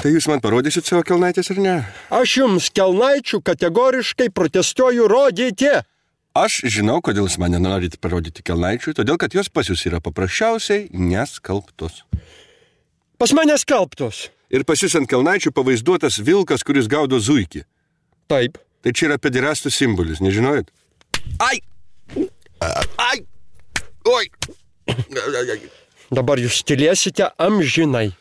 Tai jūs man parodysit savo kelnaitės ar ne? Aš jums kelnaičių kategoriškai protestuoju rodyti. Aš žinau, kodėl jūs man nenorit parodyti kelnaičių, todėl kad jos pas jūs yra paprasčiausiai neskalbtos. Pas mane skalbtos. Ir pas jūs ant kelnaičių pavaizduotas vilkas, kuris gaudo zuikį. Taip. Tai čia yra pederastų simbolis, nežinojot? Ai! Ai! Oi! Dabar jūs tylėsite amžinai.